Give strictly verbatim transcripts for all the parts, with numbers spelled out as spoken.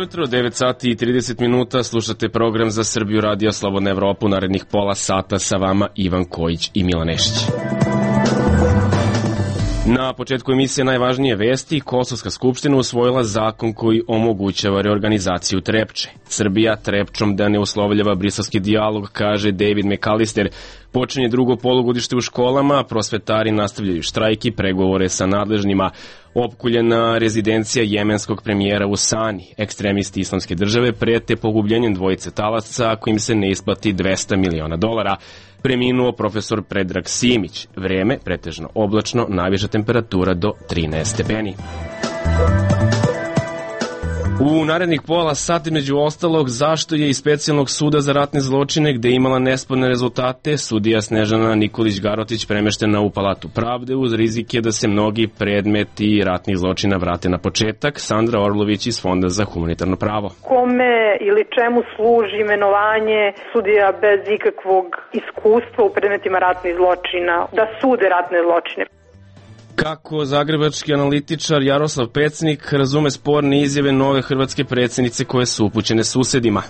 jutro, devet sati i trideset minuta, slušate program za Srbiju Radio Slobodna Evropa, narednih pola sata sa vama Ivan Kojić i Milan Nešić. Na početku emisije najvažnije vesti, Kosovska skupština usvojila zakon koji omogućava reorganizaciju Trepče. Srbija Trepčom da ne uslovljava briselski dijalog, kaže David McAllister. Počinje drugo polugodište u školama, prosvetari nastavljaju štrajk i pregovore sa nadležnima. Opkuljena rezidencija jemenskog premijera u Sani. Ekstremisti Islamske države prete pogubljenjem dvojice talaca ako im se ne isplati dvesta miliona dolara. Preminuo profesor Predrag Simić. Vreme pretežno oblačno, najviša temperatura do trinaest stepeni. U narednih pola sati, među ostalog, zašto je iz specijalnog suda za ratne zločine, gde je imala nesporne rezultate, sudija Snežana Nikolić-Garotić premeštena u Palatu pravde uz rizike da se mnogi predmeti ratnih zločina vrate na početak. Sandra Orlović iz Fonda za humanitarno pravo. Kome ili čemu služi imenovanje sudija bez ikakvog iskustva u predmetima ratnih zločina, da sude ratne zločine? Kako zagrebački analitičar Jaroslav Pecnik razume sporne izjave nove hrvatske predsjednice koje su upućene susedima?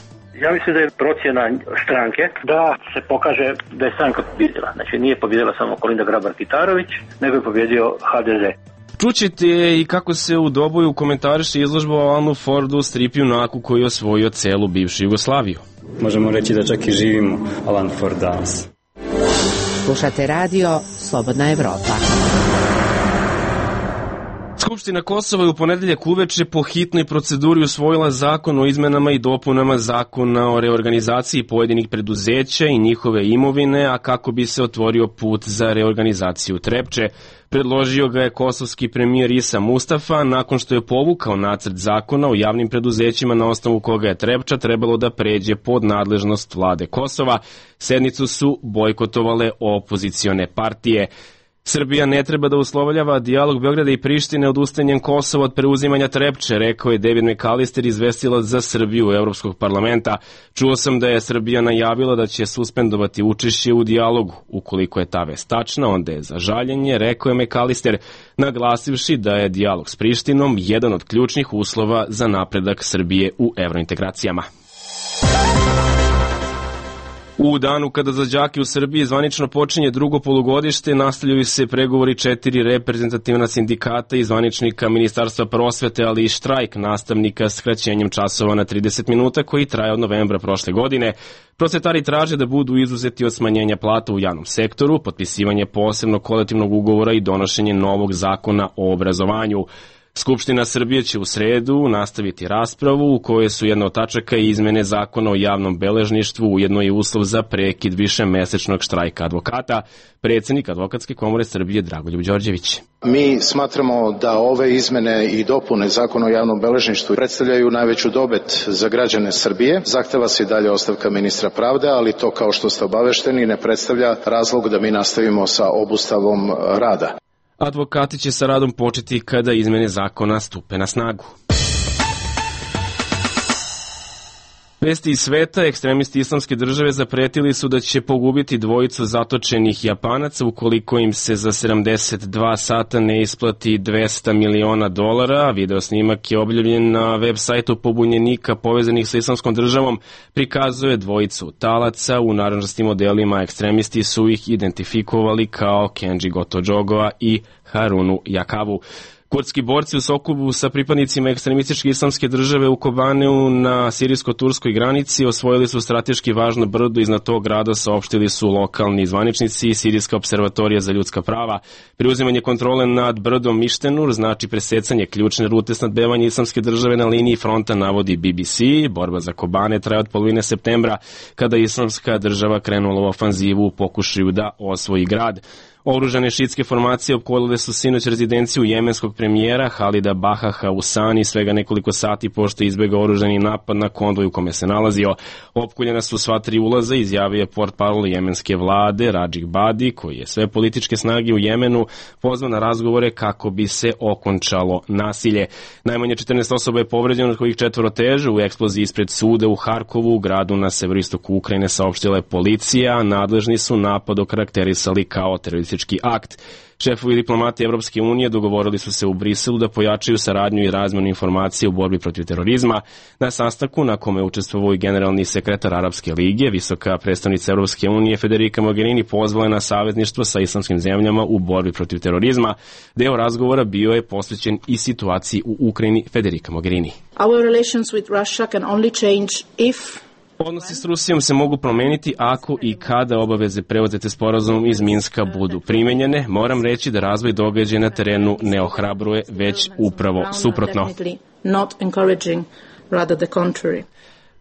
Ja mislim da je procjena stranke da se pokaže da je stranka pobjedila. Znači nije pobjedila samo Kolinda Grabar-Kitarović, nego je pobjedio ha de ze. Čućete i kako se u Doboju komentariše izložba o Alanu Fordu, strip junaku koji je osvojio celu bivšu Jugoslaviju. Možemo reći da čak i živimo Alan Ford danas. Slušate radio Slobodna Evropa. Skupština Kosova je u ponedeljak uveče po hitnoj proceduri usvojila zakon o izmenama i dopunama zakona o reorganizaciji pojedinih preduzeća i njihove imovine, a kako bi se otvorio put za reorganizaciju Trepče. Predložio ga je kosovski premijer Isa Mustafa nakon što je povukao nacrt zakona o javnim preduzećima na osnovu koga je Trepča trebalo da pređe pod nadležnost vlade Kosova. Sednicu su bojkotovale opozicione partije. Srbija ne treba da uslovljava dijalog Beograda i Prištine odustajanjem Kosova od preuzimanja Trepče, rekao je David McAllister, izvestilac za Srbiju Evropskog parlamenta. Čuo sam da je Srbija najavila da će suspendovati učešće u dijalogu. Ukoliko je ta vest tačna, onda je za žaljenje, rekao je McAllister, naglasivši da je dijalog s Prištinom jedan od ključnih uslova za napredak Srbije u evrointegracijama. U danu kada za đake u Srbiji zvanično počinje drugo polugodište, nastavljaju se pregovori četiri reprezentativna sindikata i zvaničnika Ministarstva prosvete, ali i štrajk nastavnika s skraćenjem časova na trideset minuta koji traje od novembra prošle godine. Prosvetari traže da budu izuzeti od smanjenja plata u javnom sektoru, potpisivanje posebnog kolektivnog ugovora i donošenje novog zakona o obrazovanju. Skupština Srbije će u sredu nastaviti raspravu u kojoj su jedna od tačaka i izmene zakona o javnom beležništvu, ujedno je uslov za prekid višemesečnog štrajka advokata. Predsjednik Advokatske komore Srbije Dragoljub Đorđević. Mi smatramo da ove izmene i dopune zakona o javnom beležništvu predstavljaju najveću dobit za građane Srbije. Zahteva se i dalje ostavka ministra pravde, ali to, kao što ste obavešteni, ne predstavlja razlog da mi nastavimo sa obustavom rada. Advokati će sa radom početi kada izmene zakona stupe na snagu. Vesti iz sveta, ekstremisti Islamske države zapretili su da će pogubiti dvojicu zatočenih Japanaca ukoliko im se za sedamdeset dva sata ne isplati dvesta miliona dolara. Video snimak je objavljen na web sajtu pobunjenika povezanih sa Islamskom državom, prikazuje dvojicu talaca. U narandžastim modelima ekstremisti su ih identifikovali kao Kenji Gotojogoa i Harunu Jakavu. Kurdski borci u Sokobu sa pripadnicima ekstremističke Islamske države u Kobaneu na sirijsko-turskoj granici osvojili su strateški važno brdo. Iznad tog grada saopštili su lokalni zvaničnici i Sirijska observatorija za ljudska prava. Preuzimanje kontrole nad brdom Mištenur znači presecanje ključne rute snabdevanja Islamske države na liniji fronta, navodi B B C. Borba za Kobane traje od polovine septembra, kada je Islamska država krenula u ofanzivu u pokušaju da osvoji grad. Oružane šiitske formacije opkolile su sinoć rezidenciju jemenskog premijera Halida Bahaha u Sani svega nekoliko sati pošto je izbegao oružani napad na konvoj u kome se nalazio. Opkoljena su sva tri ulaza, izjavio je portparol jemenske vlade Radžik Badi, koji je sve političke snage u Jemenu pozvao na razgovore kako bi se okončalo nasilje. Najmanje četrnaest osoba je povređeno, od kojih četvoro teže. U eksploziji ispred suda u Harkovu, u gradu na severistoku Ukrajine, saopštila je policija. Nadležni su napad okarakterisali kao teroristički teroristički akt. Šefovi diplomati Evropske unije dogovorili su se u Briselu da pojačaju saradnju i razmenu informacije u borbi protiv terorizma. Na sastanku na kome učestvovao i generalni sekretar Arapske lige, visoka predstavnica Evropske unije Federica Mogherini pozvala je na savezništvo sa islamskim zemljama u borbi protiv terorizma. Deo razgovora bio je posvećen i situaciji u Ukrajini. Federica Mogherini. Our relations with Russia can only change if Odnosi s Rusijom se mogu promeniti ako i kada obaveze preuzete sporazumom iz Minska budu primenjene. Moram reći da razvoj događaja na terenu ne ohrabruje, već upravo suprotno.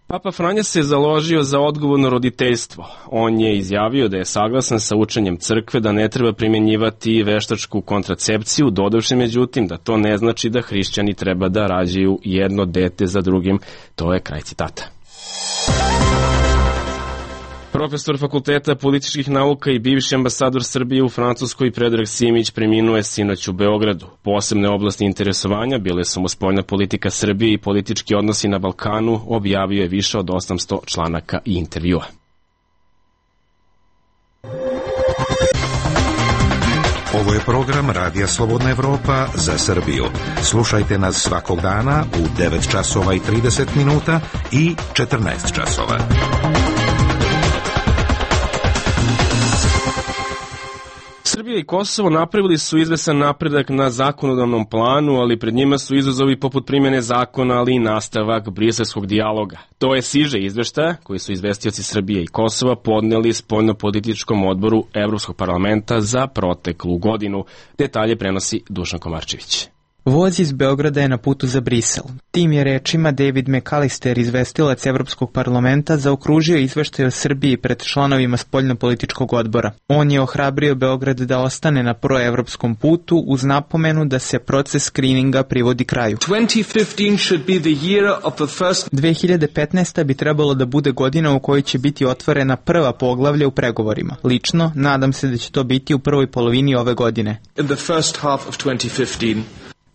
Papa Franja se založio za odgovorno roditeljstvo. On je izjavio da je saglasan sa učenjem crkve da ne treba primjenjivati veštačku kontracepciju, dodavši međutim da to ne znači da hrišćani treba da rađaju jedno dete za drugim. To je kraj citata. Profesor Fakulteta političkih nauka i bivši ambasador Srbije u Francuskoj Predrag Simić preminuo je sinoć u Beogradu. Posebne oblasti interesovanja bile su mu spoljna politika Srbije i politički odnosi na Balkanu, objavio je više od osamsto članaka i intervjua. Ovo je program Radija Slobodna Evropa za Srbiju. Slušajte nas svakog dana u devet časova i trideset minuta i četrnaest časova. Srbija i Kosovo napravili su izvesan napredak na zakonodavnom planu, ali pred njima su izazovi poput primjene zakona, ali i nastavak briselskog dijaloga. To je siže izveštaja koji su izvestioci Srbije i Kosova podneli spoljnopolitičkom odboru Evropskog parlamenta za proteklu godinu. Detalje prenosi Dušan Komarčević. Voz iz Beograda je na putu za Brisel. Tim je rečima David McAllister, izvestilac Evropskog parlamenta, zaokružio izveštaj o Srbiji pred članovima spoljnopolitičkog odbora. On je ohrabrio Beograd da ostane na proevropskom putu uz napomenu da se proces skrininga privodi kraju. dve hiljade petnaesta. bi trebalo da bude godina u kojoj će biti otvorena prva poglavlja u pregovorima. Lično, nadam se da će to biti u prvoj polovini ove godine.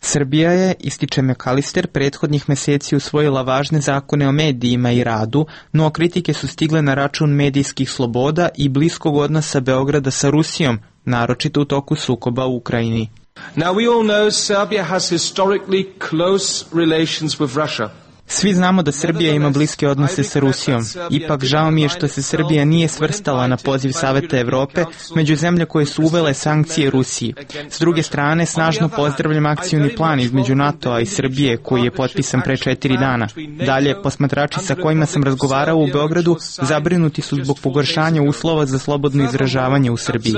Srbija je, ističe McAllister, prethodnih meseci usvojila važne zakone o medijima i radu, no kritike su stigle na račun medijskih sloboda i bliskog odnosa Beograda sa Rusijom, naročito u toku sukoba u Ukrajini. Now we all know Serbia has historically close relations with Russia. Svi znamo da Srbija ima bliske odnose sa Rusijom. Ipak žao mi je što se Srbija nije svrstala na poziv Saveta Evrope među zemlje koje su uvele sankcije Rusiji. S druge strane, snažno pozdravljam akcioni plan između NATO-a i Srbije koji je potpisan pre četiri dana. Dalje, posmatrači sa kojima sam razgovarao u Beogradu zabrinuti su zbog pogoršanja uslova za slobodno izražavanje u Srbiji.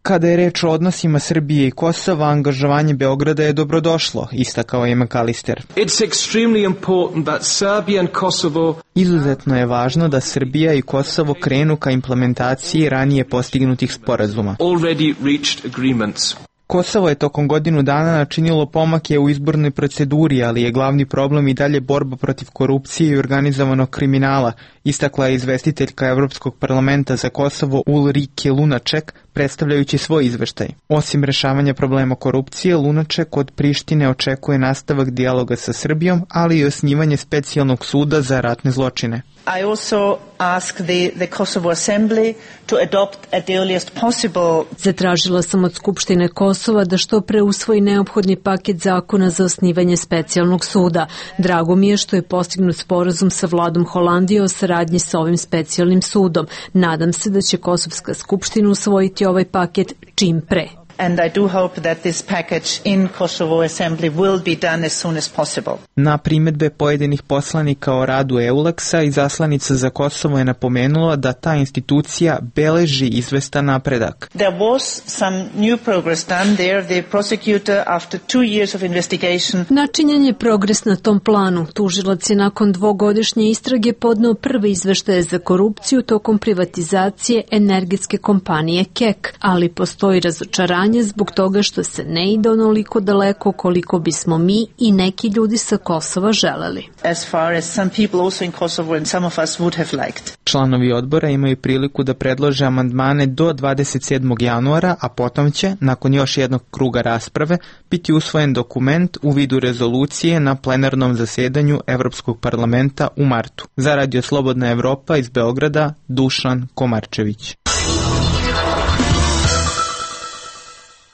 Kada je reč o odnosima Srbije i Kosova, angažovanje Beograda je dobrodošlo, istakao je McAllister. Izuzetno je važno da Srbija i Kosovo krenu ka implementaciji ranije postignutih sporazuma. Kosovo je tokom godinu dana načinilo pomake u izbornoj proceduri, ali je glavni problem i dalje borba protiv korupcije i organizovanog kriminala, istakla je izvestiteljka Evropskog parlamenta za Kosovo Ulrike Lunaček, predstavljajući svoj izveštaj. Osim rešavanja problema korupcije, Lunaček od Prištine očekuje nastavak dijaloga sa Srbijom, ali i osnivanje specijalnog suda za ratne zločine. I also ask the, the Kosovo Assembly to adopt at the earliest possible. Zatražila sam od Skupštine Kosova da što pre usvoji neophodni paket zakona za osnivanje specijalnog suda. Drago mi je što je postignut sporazum sa vladom Holandije o saradnji sa ovim specijalnim sudom. Nadam se da će Kosovska skupština usvojiti ovaj paket čim pre. And I do hope that this package in Kosovo Assembly will be done as soon as possible. Na primedbe pojedinih poslanika o radu EULEX-a, izaslanica za Kosovo je napomenula da ta institucija beleži izvestan napredak. There was some new progress done there. The prosecutor, after two years of investigation... Načinjen je progres na tom planu. Tužilac je nakon dvogodišnje istrage podneo prve izveštaje za korupciju tokom privatizacije energetske kompanije K E K, ali postoji razočaranje zbog toga što se ne ide onoliko daleko koliko bismo mi i neki ljudi sa Kosova želeli. As far as some people also in Kosovo and some of us would have liked. Članovi odbora imaju priliku da predlože amandmane do dvadeset sedmog januara, a potom će, nakon još jednog kruga rasprave, biti usvojen dokument u vidu rezolucije na plenarnom zasedanju Evropskog parlamenta u martu. Za Radio Slobodna Evropa iz Beograda, Dušan Komarčević.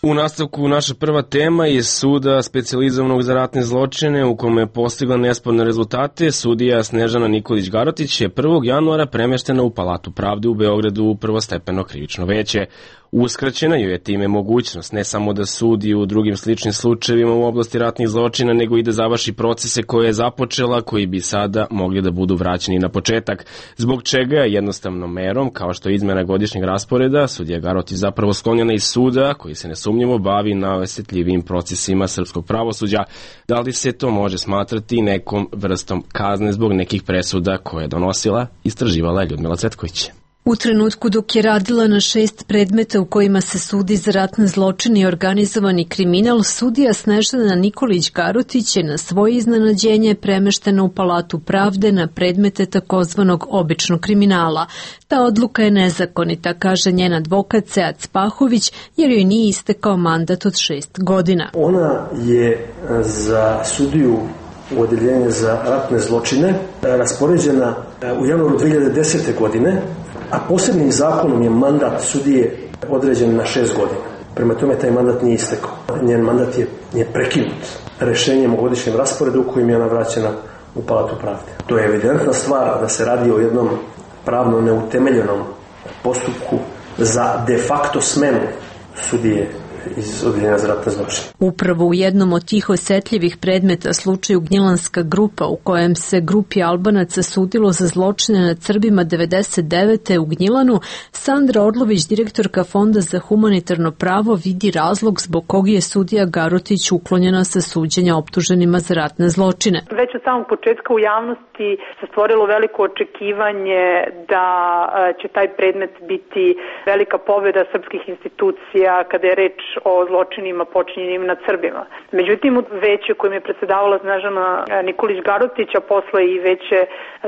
U nastavku naša prva tema je suda specijalizovanog za ratne zločine u kome je postigla nesporne rezultate. Sudija Snežana Nikolić Garotić je prvog januara premeštena u Palatu pravde u Beogradu u prvostepeno krivično veće. Uskraćena joj je time mogućnost ne samo da sudi u drugim sličnim slučajevima u oblasti ratnih zločina, nego i da završi procese koje je započela, koji bi sada mogli da budu vraćeni na početak. Zbog čega je jednostavnom merom, kao što je izmena godišnjeg rasporeda, sudija Garotić zapravo sklonjena iz suda, koji se nesumnjivo bavi najosetljivijim procesima srpskog pravosuđa. Da li se to može smatrati nekom vrstom kazne zbog nekih presuda koje je donosila, istraživala je Ljudmila Cvetković. U trenutku dok je radila na šest predmeta u kojima se sudi za ratne zločine i organizovani kriminal, sudija Snežana Nikolić Garotić je na svoje iznenađenje premeštena u Palatu pravde na predmete takozvanog običnog kriminala. Ta odluka je nezakonita, kaže njen advokat Sead Spahović, jer joj nije istekao mandat od šest godina. Ona je za sudiju u odeljenje za ratne zločine raspoređena u januaru dve hiljade desete. godine, a posebnim zakonom je mandat sudije određen na šest godina. Prema tome taj mandat nije istekao. Njen mandat je, je prekinut rešenjem o godišnjem rasporedu u kojim je ona vraćena u Palatu pravde. To je evidentna stvar da se radi o jednom pravno neutemeljenom postupku za de facto smenu sudije iz odeljenja za ratne zločine. Upravo u jednom od tih osetljivih predmeta, slučaju Gnjilanska grupa, u kojem se grupi Albanaca sudilo za zločine nad Srbima devedeset devete. u Gnjilanu, Sandra Orlović, direktorka Fonda za humanitarno pravo, vidi razlog zbog kog je sudija Garotić uklonjena sa suđenja optuženima za ratne zločine. Već od samog početka u javnosti se stvorilo veliko očekivanje da će taj predmet biti velika pobjeda srpskih institucija kada je reč o zločinima počinjenim nad Srbima. Međutim, veće kojim je predsedavala Snežana Nikolić Garotić, a posle i veće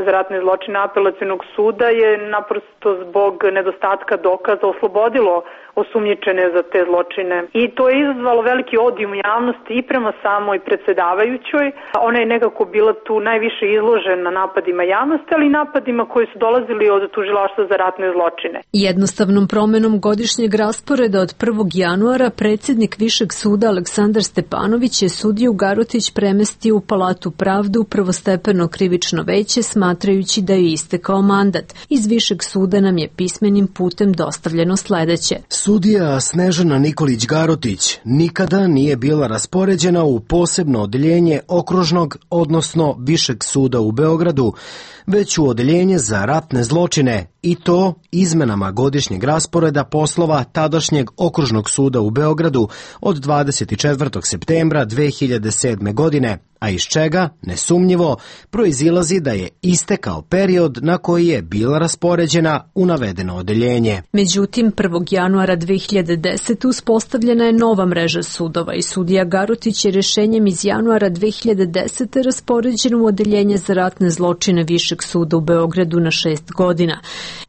za ratne zločine Apelacionog suda, je naprosto zbog nedostatka dokaza oslobodilo osumnjičene za te zločine. I to je izazvalo veliki odijum javnosti i prema samoj predsedavajućoj. Ona je nekako bila tu najviše izložena napadima javnosti, ali i napadima koji su dolazili od tužilaštva za ratne zločine. Jednostavnom promenom godišnjeg rasporeda od prvog januara predsjednik Višeg suda Aleksandar Stepanović je sudiju Garotić premestio u Palatu pravde u prvostepeno krivično veće, smatrajući da je istekao mandat. Iz Višeg suda nam je pismenim putem dostavljeno sledeće. Sudija Snežana Nikolić Garotić nikada nije bila raspoređena u posebno odeljenje okružnog, odnosno Višeg suda u Beogradu, već u odeljenje za ratne zločine, i to izmenama godišnjeg rasporeda poslova tadašnjeg okružnog suda u Beogradu od dvadeset četvrtog septembra dve hiljade sedme. godine, a iz čega, nesumnjivo, proizilazi da je istekao period na koji je bila raspoređena u navedeno odeljenje. Međutim, prvog januara dve hiljade desete. uspostavljena je nova mreža sudova i sudija Garotić je rešenjem iz januara dve hiljade desete. raspoređen u odeljenje za ratne zločine Višeg suda u Beogradu na šest godina.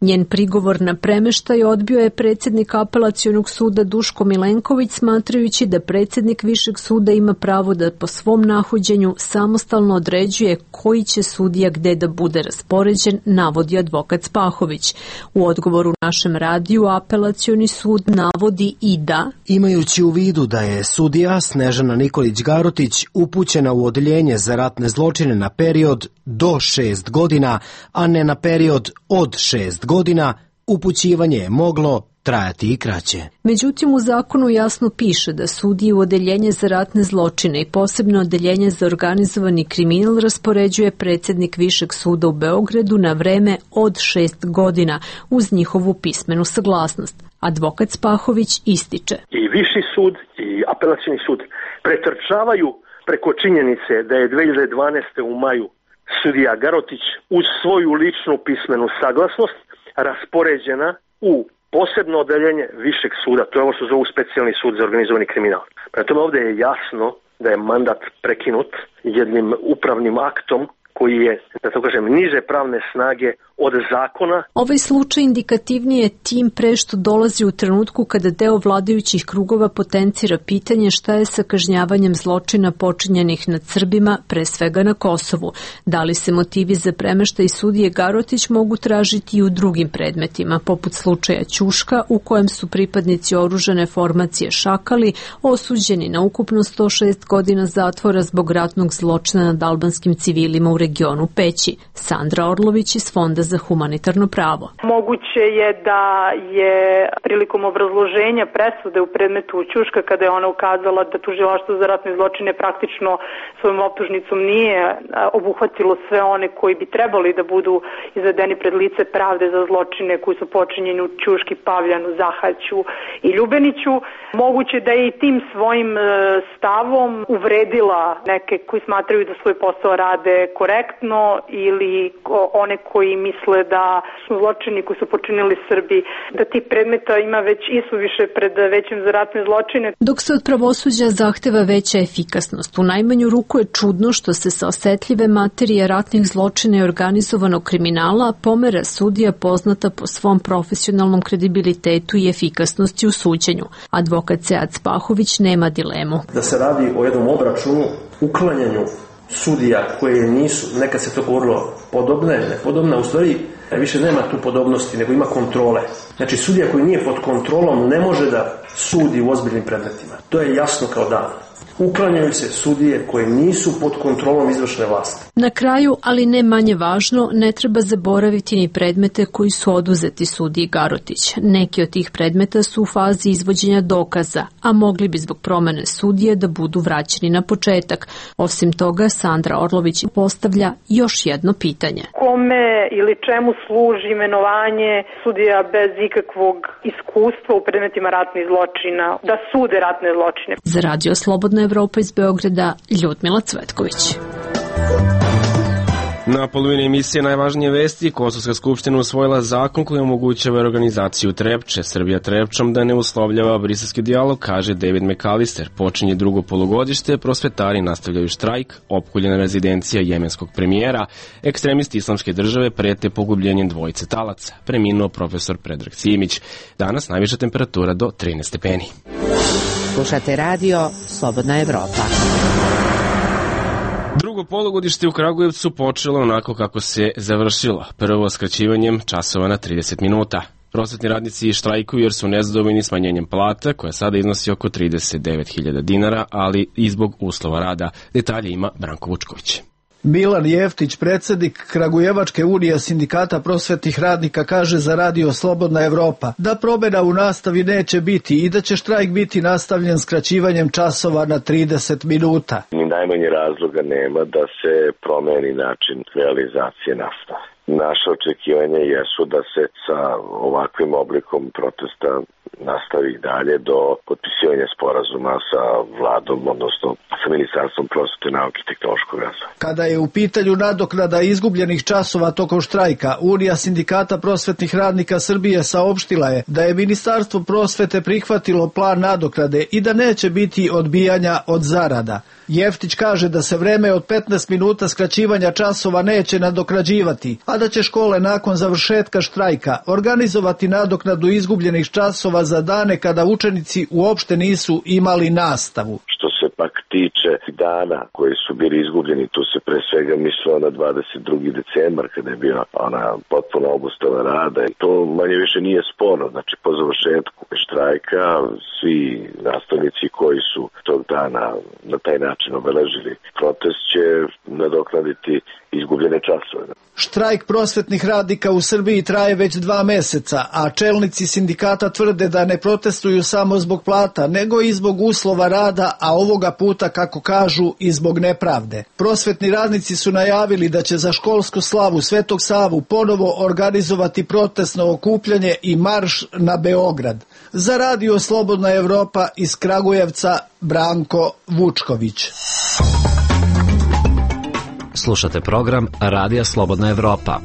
Njen prigovor na premeštaj odbio je predsjednik Apelacionog suda Duško Milenković, smatrajući da predsjednik Višeg suda ima pravo da po svom nahođenju samostalno određuje koji će sudija gde da bude raspoređen, navodi advokat Spahović. U odgovoru našem radiju Apelacioni sud navodi i da, imajući u vidu da je sudija Snežana Nikolić Garotić upućena u odeljenje za ratne zločine na period do šest godina, a ne na period od šest godina, upućivanje je moglo trajati i kraće. Međutim, u zakonu jasno piše da sudije u odeljenje za ratne zločine i posebno odeljenje za organizovani kriminal raspoređuje predsjednik Višeg suda u Beogradu na vreme od šest godina uz njihovu pismenu saglasnost. Advokat Spahović ističe. I Viši sud i Apelacioni sud pretrčavaju preko činjenice da je dve hiljade dvanaeste. u maju sudija Garotić uz svoju ličnu pismenu saglasnost raspoređena u posebno odeljenje Višeg suda, to je ovo što zovu specijalni sud za organizovani kriminal. Prema tome ovdje je jasno da je mandat prekinut jednim upravnim aktom koji je, da to kažem, niže pravne snage od zakona. Ovaj slučaj indikativnije tim pre što dolazi u trenutku kada deo vladajućih krugova potencira pitanje šta je sa kažnjavanjem zločina počinjenih nad Srbima, pre svega na Kosovu. Da li se motivi za premeštaj sudije Garotić mogu tražiti i u drugim predmetima, poput slučaja Ćuška, u kojem su pripadnici oružane formacije Šakali osuđeni na ukupno sto šest godina zatvora zbog ratnog zločina nad albanskim civilima u regionu Peći. Sandra Orlović iz Fonda za humanitarno pravo. Moguće je da je prilikom obrazloženja presude u predmetu Ćuška, kada je ona ukazala da tužilaštvo za ratne zločine praktično svojom optužnicom nije obuhvatilo sve one koji bi trebali da budu izvedeni pred lice pravde za zločine koji su počinjeni u Ćuški, Pavljanu, Zahaću i Ljubeniću. Moguće da je i tim svojim stavom uvredila neke koji smatraju da svoj posao rade korektno ili one koji misle da su zločini koji su počinili Srbi, da tih predmeta ima već isuviše pred većim za ratne zločine. Dok se od pravosuđa zahteva veća efikasnost, u najmanju ruku je čudno što se sa osetljive materije ratnih zločina i organizovanog kriminala pomera sudija poznata po svom profesionalnom kredibilitetu i efikasnosti u suđenju. Advokat Sead Spahović nema dilemu. Da se radi o jednom obračunu, uklanjanju sudija koje nisu, nekad se to govorilo podobne, nepodobne, u stvari više nema tu podobnosti, nego ima kontrole. Znači sudija koji nije pod kontrolom ne može da sudi u ozbiljnim predmetima. To je jasno kao dan. Uklanjaju se sudije koje nisu pod kontrolom izvršne vlasti. Na kraju, ali ne manje važno, ne treba zaboraviti ni predmete koji su oduzeti sudiji Garotić. Neki od tih predmeta su u fazi izvođenja dokaza, a mogli bi zbog promene sudije da budu vraćeni na početak. Osim toga, Sandra Orlović postavlja još jedno pitanje. Kome ili čemu služi imenovanje sudija bez ikakvog iskustva u predmetima ratnih zločina, da sude ratne zločine? Za Radio Slobodna Evropa iz Beograda, Ljudmila Cvetković. Na polovini emisije najvažnije vesti, Kosovska skupština usvojila zakon koji omogućava organizaciju Trepče, Srbija Trepčom da ne uslovljava briselski dijalog, kaže David McAllister. Počinje drugo polugodište, prosvetari nastavljaju štrajk, opkoljena rezidencija jemenskog premijera, ekstremisti islamske države prete pogubljenjem dvojice talaca. Preminuo profesor Predrag Simić. Danas najviša temperatura do trinaest stepeni. Slušate radio Slobodna Evropa. Drugo polugodište u Kragujevcu počelo onako kako se završilo, prvo skraćivanjem časova na trideset minuta. Prosvetni radnici štrajkuju jer su nezadovoljni smanjenjem plata, koja sada iznosi oko trideset devet hiljada dinara, ali i zbog uslova rada. Detalje ima Branko Vučković. Milan Jeftić, predsjednik Kragujevačke unije sindikata prosvetnih radnika, kaže za radio Slobodna Evropa da promjena u nastavi neće biti i da će štrajk biti nastavljen skraćivanjem časova na trideset minuta. Ni najmanje razloga nema da se promeni način realizacije nastave. Naše očekivanje jesu da se sa ovakvim oblikom protesta nastavi dalje do potpisivanja sporazuma sa vladom, odnosno sa Ministarstvom prosvete, nauke i tehnološkog razvoja. Kada je u pitanju nadoknada izgubljenih časova tokom štrajka, Unija sindikata prosvetnih radnika Srbije saopštila je da je Ministarstvo prosvete prihvatilo plan nadoknade i da neće biti odbijanja od zarada. Jeftić kaže da se vreme od petnaest minuta skraćivanja časova neće nadoknađivati, a da će škole nakon završetka štrajka organizovati nadoknadu izgubljenih časova za dane kada učenici uopšte nisu imali nastavu. Što se pak tiče dana koji su bili izgubljeni, tu se pre svega mislilo na dvadeset drugi decembar kada je bila ona potpuno obustava rada i to manje više nije sporno. Znači po završetku štrajka svi nastavnici koji su tog dana na taj način obeležili protest će nadoknaditi izgubljene časove. Štrajk prosvetnih radnika u Srbiji traje već dva meseca, a čelnici sindikata tvrde da ne protestuju samo zbog plata, nego i zbog uslova rada, a ovoga puta, kako kažu, i zbog nepravde. Prosvetni radnici su najavili da će za školsku slavu Svetog Savu ponovo organizovati protestno okupljanje i marš na Beograd. Za radio Slobodna Evropa iz Kragujevca, Branko Vučković. Slušate program Radija Slobodna Evropa.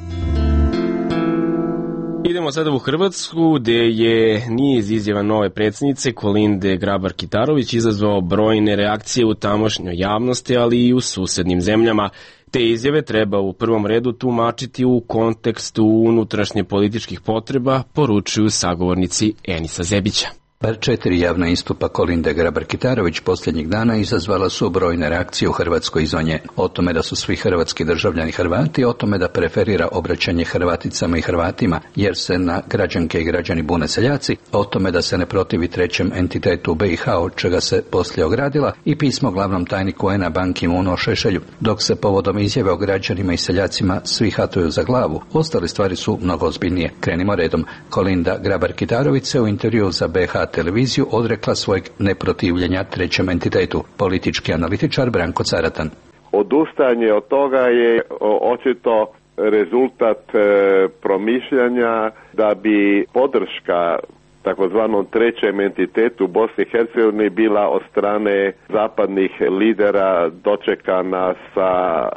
Idemo sada u Hrvatsku, gde je niz izjava nove predsjednice Kolinde Grabar-Kitarović izazvao brojne reakcije u tamošnjoj javnosti, ali i u susednim zemljama. Te izjave treba u prvom redu tumačiti u kontekstu unutrašnje političkih potreba, poručuju sagovornici Enisa Zebića. Bar četiri javna istupa Kolinde Grabar-Kitarović posljednjih dana izazvala su brojne reakcije u Hrvatskoj izvan nje. O tome da su svi hrvatski državljani Hrvati, o tome da preferira obraćanje Hrvaticama i Hrvatima, jer se na građanke i građani bune seljaci, o tome da se ne protivi trećem entitetu u B i H, od čega se poslije ogradila, i pismo glavnom tajniku U N-a Ban Ki-moonu o Šešelju. Dok se povodom izjave o građanima i seljacima svi hatuju za glavu, ostale stvari su mnogo ozbiljnije. Krenimo redom. Kolinda Grabar-Kitarović se u intervju za B H televiziju odrekla svojeg neprotivljenja trećem entitetu. Politički analitičar Branko Caratan. Odustajanje od toga je očito rezultat e, promišljanja da bi podrška takozvanom trećem entitetu Bosni i Hercegovini bila od strane zapadnih lidera dočekana sa e,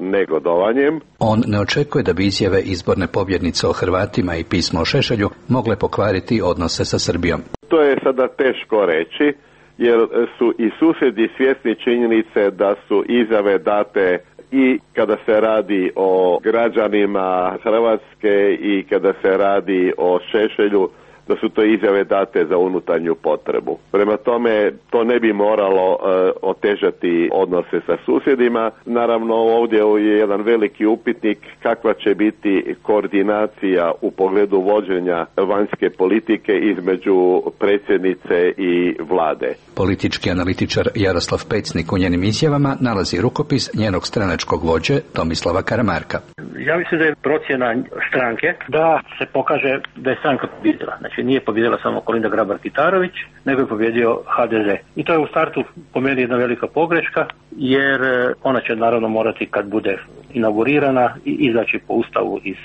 negodovanjem. On ne očekuje da bi izjave izborne pobjednice o Hrvatima i pismo o Šešelju mogle pokvariti odnose sa Srbijom. To je sada teško reći, jer su i susjedi svjesni činjenice da su izjave date i kada se radi o građanima Hrvatske i kada se radi o Šešelju, da su to izjave date za unutarnju potrebu. Prema tome, to ne bi moralo uh, otežati odnose sa susjedima. Naravno, ovdje je jedan veliki upitnik kakva će biti koordinacija u pogledu vođenja vanjske politike između predsjednice i vlade. Politički analitičar Jaroslav Pecnik u njenim izjavama nalazi rukopis njenog stranačkog vođe Tomislava Karamarka. Ja mislim da je procjena stranke da se pokaže da je stranka pobjedila. Znači nije pobjedila samo Kolinda Grabar-Kitarović, nego je pobjedio H D Z. I to je u startu po meni jedna velika pogreška, jer ona će naravno morati kad bude inaugurirana i izaći po ustavu iz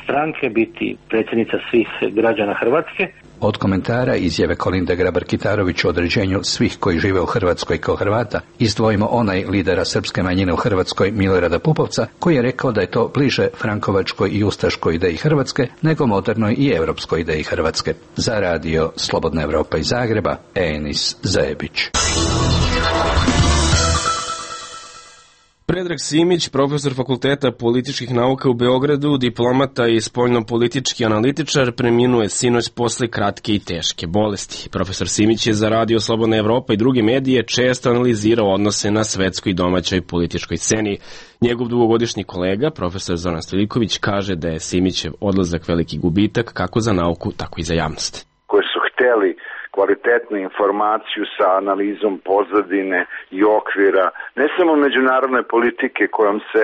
stranke, biti predsjednica svih građana Hrvatske. Od komentara izjave Kolinde Grabar-Kitarović o određenju svih koji žive u Hrvatskoj kao Hrvata, izdvojimo onaj lidera srpske manjine u Hrvatskoj Milorada Pupovca, koji je rekao da je to bliže frankovačkoj i ustaškoj ideji Hrvatske nego modernoj i europskoj ideji Hrvatske. Za radio Slobodna Evropa iz Zagreba, Enis Zebić. Predrag Simić, profesor Fakulteta političkih nauka u Beogradu, diplomata i spoljno-politički analitičar, preminuo je sinoć posle kratke i teške bolesti. Profesor Simić je za radio Slobodna Evropa i druge medije često analizirao odnose na svetskoj i domaćoj političkoj sceni. Njegov dugogodišnji kolega, profesor Zoran Stojiljković, kaže da je Simićev odlazak veliki gubitak kako za nauku, tako i za javnost. Koji su hteli kvalitetnu informaciju sa analizom pozadine i okvira, ne samo međunarodne politike kojom se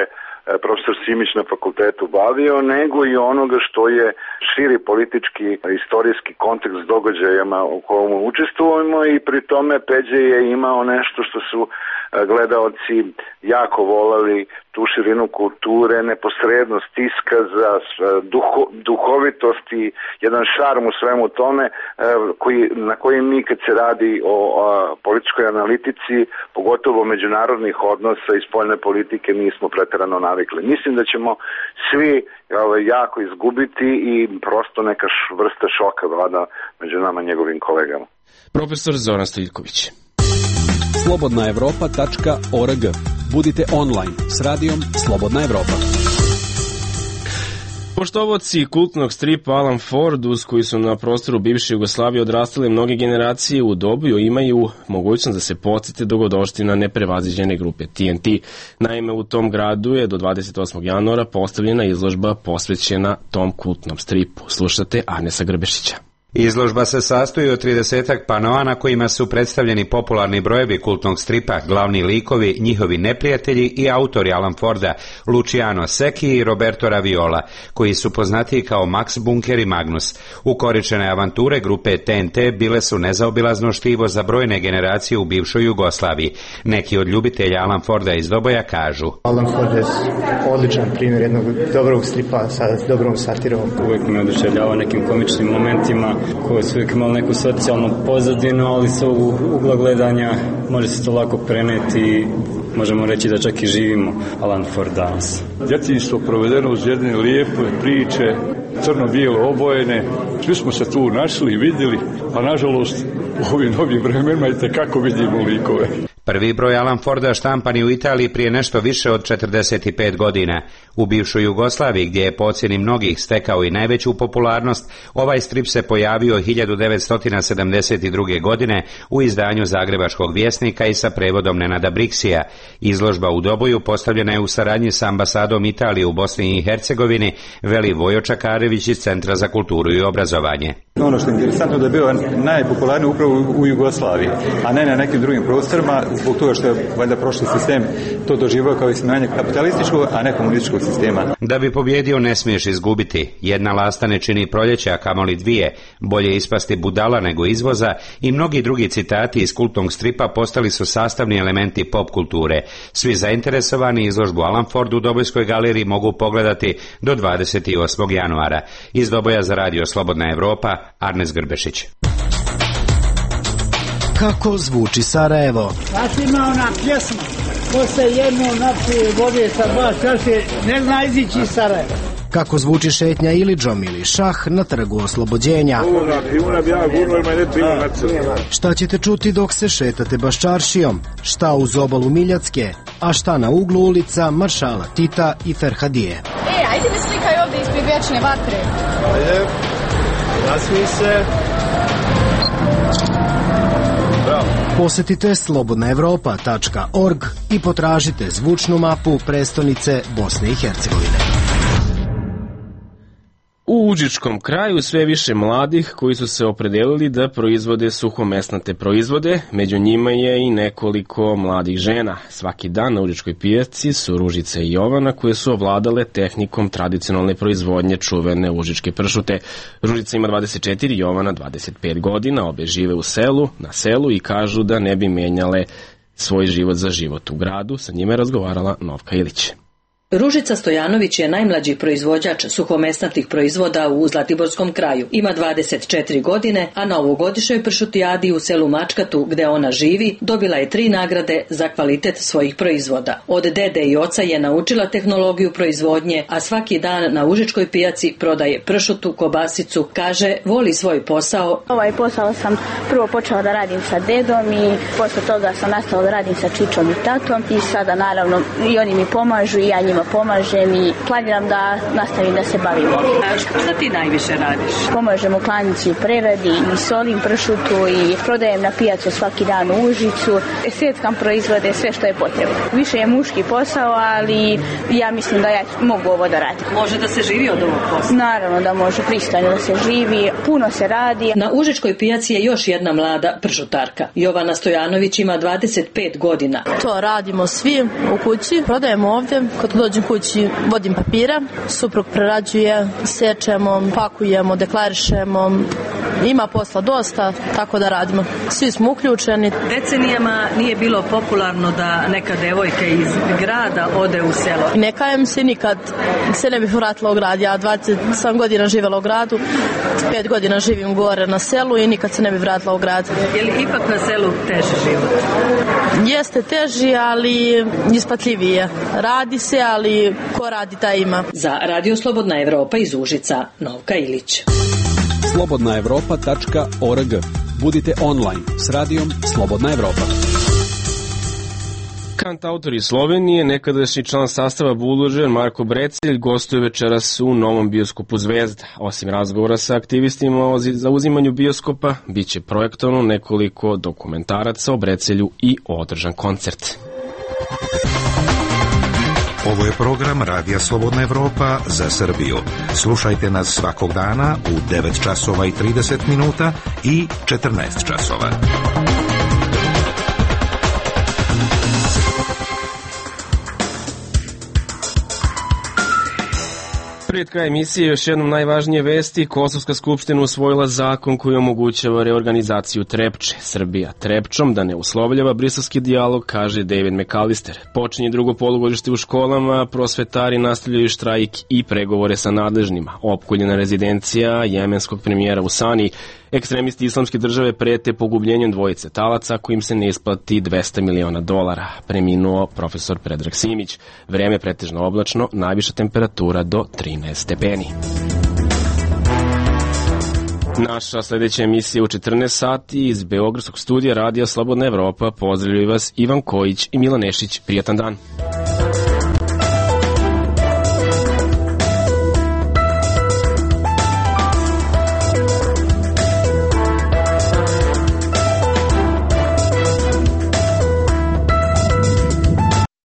profesor Simić na fakultetu bavio, nego i onoga što je širi politički, istorijski kontekst događajama u kojem učestvujemo, i pri tome Peđe je imao nešto što su gledaoci jako volali, tu širinu kulture, neposrednost iskaza, duho, duhovitost i jedan šarm u svemu tome koji, na koji mi kad se radi o, o političkoj analitici, pogotovo međunarodnih odnosa i spoljne politike, nismo preterano navikli. Mislim da ćemo svi ovaj, jako izgubiti i prosto neka vrsta šoka vlada među nama njegovim kolegama. Profesor Zoran Stojiljković. slobodna evropa tačka org. Budite online s radijom Slobodna Evropa. Poštovaoci kultnog stripa Alan Ford, uz koji su na prostoru bivše Jugoslavije odrastale mnoge generacije u Dobiju, imaju mogućnost da se podsjete dogodovština neprevaziđene grupe T N T. Naime, u tom gradu je do dvadeset osmog januara postavljena izložba posvećena tom kultnom stripu. Slušate Arnesa Grbešića. Izložba se sastoji od tridesetak panoa na kojima su predstavljeni popularni brojevi kultnog stripa, glavni likovi, njihovi neprijatelji i autori Alan Forda, Luciano Secchi i Roberto Raviola, koji su poznatiji kao Max Bunker i Magnus. Ukoričene avanture grupe T N T bile su nezaobilazno štivo za brojne generacije u bivšoj Jugoslaviji. Neki od ljubitelja Alan Forda iz Doboja kažu: Alan Ford je odličan primjer jednog dobrog stripa sa dobrom satirom. Uvijek me oduševljava nekim komičnim momentima. koje su uvijek imali neku socijalnu pozadinu, ali sa ovog ugla gledanja može se to lako preneti, možemo reći da čak i živimo Alan Ford danas. Djetinjstvo provedeno uz jedne lijepe priče, crno-bijelo obojene, svi smo se tu našli i vidjeli, a nažalost u ovim novim vremenima i tekako vidimo likove. Prvi broj Alan Forda štampan je u Italiji prije nešto više od četrdeset pet godina. U bivšoj Jugoslaviji, gdje je po ocjeni mnogih stekao i najveću popularnost, ovaj strip se pojavio hiljadu devetsto sedamdeset druge. godine u izdanju Zagrebačkog vjesnika i sa prevodom Nenada Briksija. Izložba u Doboju postavljena je u saradnji sa ambasadom Italije u Bosni i Hercegovini, veli Vojo Čakarević iz Centra za kulturu i obrazovanje. Ono što je interesantno da je bio najpopularniji upravo u Jugoslaviji, a ne na nekim drugim prostorima, zbog toga što je valjda prošli sistem to doživio kao ismijanje kapitalističkog, a ne komunističkog sistema. Da bi pobjedio ne smiješ izgubiti. Jedna lasta ne čini proljeće, a kamoli dvije. Bolje ispasti budala nego izvoza i mnogi drugi citati iz kultnog stripa postali su sastavni elementi pop kulture. Svi zainteresovani izložbu Alan Ford u Dobojskoj galeriji mogu pogledati do dvadeset osmog januara. Iz Doboja za radio Slobodna Evropa, Arnes Grbešić. Kako zvuči Sarajevo? Znači ima ona pjesma, ko se jedno napije vode sa dva čaše, ne zna izići iz Sarajeva. Kako zvuči šetnja Ilidžom ili šah na trgu Oslobođenja? Šta ćete čuti dok se šetate Baščaršijom? Šta uz obalu Miljacke? A šta na uglu ulica Maršala Tita i Ferhadije? E, ajde mi slikaj ovdje ispred vječne vatre. Ajde, nasmij se. Posetite slobodna evropa tačka org i potražite zvučnu mapu prestonice Bosne i Hercegovine. U užičkom kraju sve više mladih koji su se opredelili da proizvode suhomesnate proizvode, među njima je i nekoliko mladih žena. Svaki dan na užičkoj pijaci su Ružica i Jovana koje su ovladale tehnikom tradicionalne proizvodnje čuvene užičke pršute. Ružica ima dvadeset četiri, Jovana dvadeset pet godina, obe žive u selu, na selu i kažu da ne bi menjale svoj život za život u gradu. Sa njima je razgovarala Novka Ilić. Ružica Stojanović je najmlađi proizvođač suhomesnatih proizvoda u Zlatiborskom kraju. Ima dvadeset četiri godine, a na ovogodišnjoj pršutijadi u selu Mačkatu, gde ona živi, dobila je tri nagrade za kvalitet svojih proizvoda. Od dede i oca je naučila tehnologiju proizvodnje, a svaki dan na užičkoj pijaci prodaje pršutu, kobasicu, kaže, voli svoj posao. Ovaj posao sam prvo počela da radim sa dedom i posle toga sam nastavila da radim sa čičom i tatom i sada naravno i oni mi pomažu i ja njima pomažem i planiram da nastavim da se bavim. Šta ti najviše radiš? Pomažem u klanici u preradi i solim pršutu i prodajem na pijacu svaki dan u Užicu. Seckam proizvode, sve što je potrebno. Više je muški posao, ali ja mislim da ja mogu ovo da radim. Može da se živi od ovog posla? Naravno da može, pristojno da se živi, puno se radi. Na Užičkoj pijaci je još jedna mlada pršutarka. Jovana Stojanović ima dvadeset pet godina. To radimo svi u kući, prodajemo ovdje, kad dođem kući vodim papira, suprug prerađuje, sečemo, pakujemo, deklarišemo, ima posla dosta, tako da radimo. Svi smo uključeni. Decenijama nije bilo popularno da neka devojka iz grada ode u selo. Ne kajem se, nikad se ne bih vratila u grad. Ja dvadeset sedam godina živjela u gradu, pet godina živim gore na selu i nikad se ne bih vratila u grad. Je li ipak na selu teži život? Jeste teži, ali ispatljivije. Radi se, ali ko radi taj ima. Za Radio Slobodna Evropa iz Užica, Novka Ilić. slobodna evropa tačka org. Budite online s radijom Slobodna Evropa. Kantautor iz Slovenije, nekadašnji član sastava Buldožer Marko Brecelj gostuje večeras u novom bioskopu Zvezda. Osim razgovora sa aktivistima o zauzimanju bioskopa, bit će projektovano nekoliko dokumentaraca o Brecelju i održan koncert. Ovo je program Radija Slobodna Evropa za Srbiju. Slušajte nas svakog dana u devet časova i trideset minuta i četrnaest časova. Pred kraj emisije još jednom najvažnije vesti. Kosovska skupština usvojila zakon koji omogućava reorganizaciju Trepče. Srbija Trepčom da ne uslovljava briselski dijalog, kaže David McAllister. Počinje drugo polugodište u školama, prosvetari nastavljaju štrajk i pregovore sa nadležnima. Opkoljena rezidencija jemenskog premijera u Sani. Ekstremisti islamske države prete pogubljenjem dvojice talaca kojim se ne isplati dvesta miliona dolara. Preminuo profesor Predrag Simić. Vreme pretežno oblačno, najviša temperatura do trinaest stepeni. Naša sljedeća emisija u četrnaest sati iz Beogradskog studija Radija Slobodna Evropa. Pozdravljaju vas Ivan Kojić i Milan Nešić. Prijatan dan.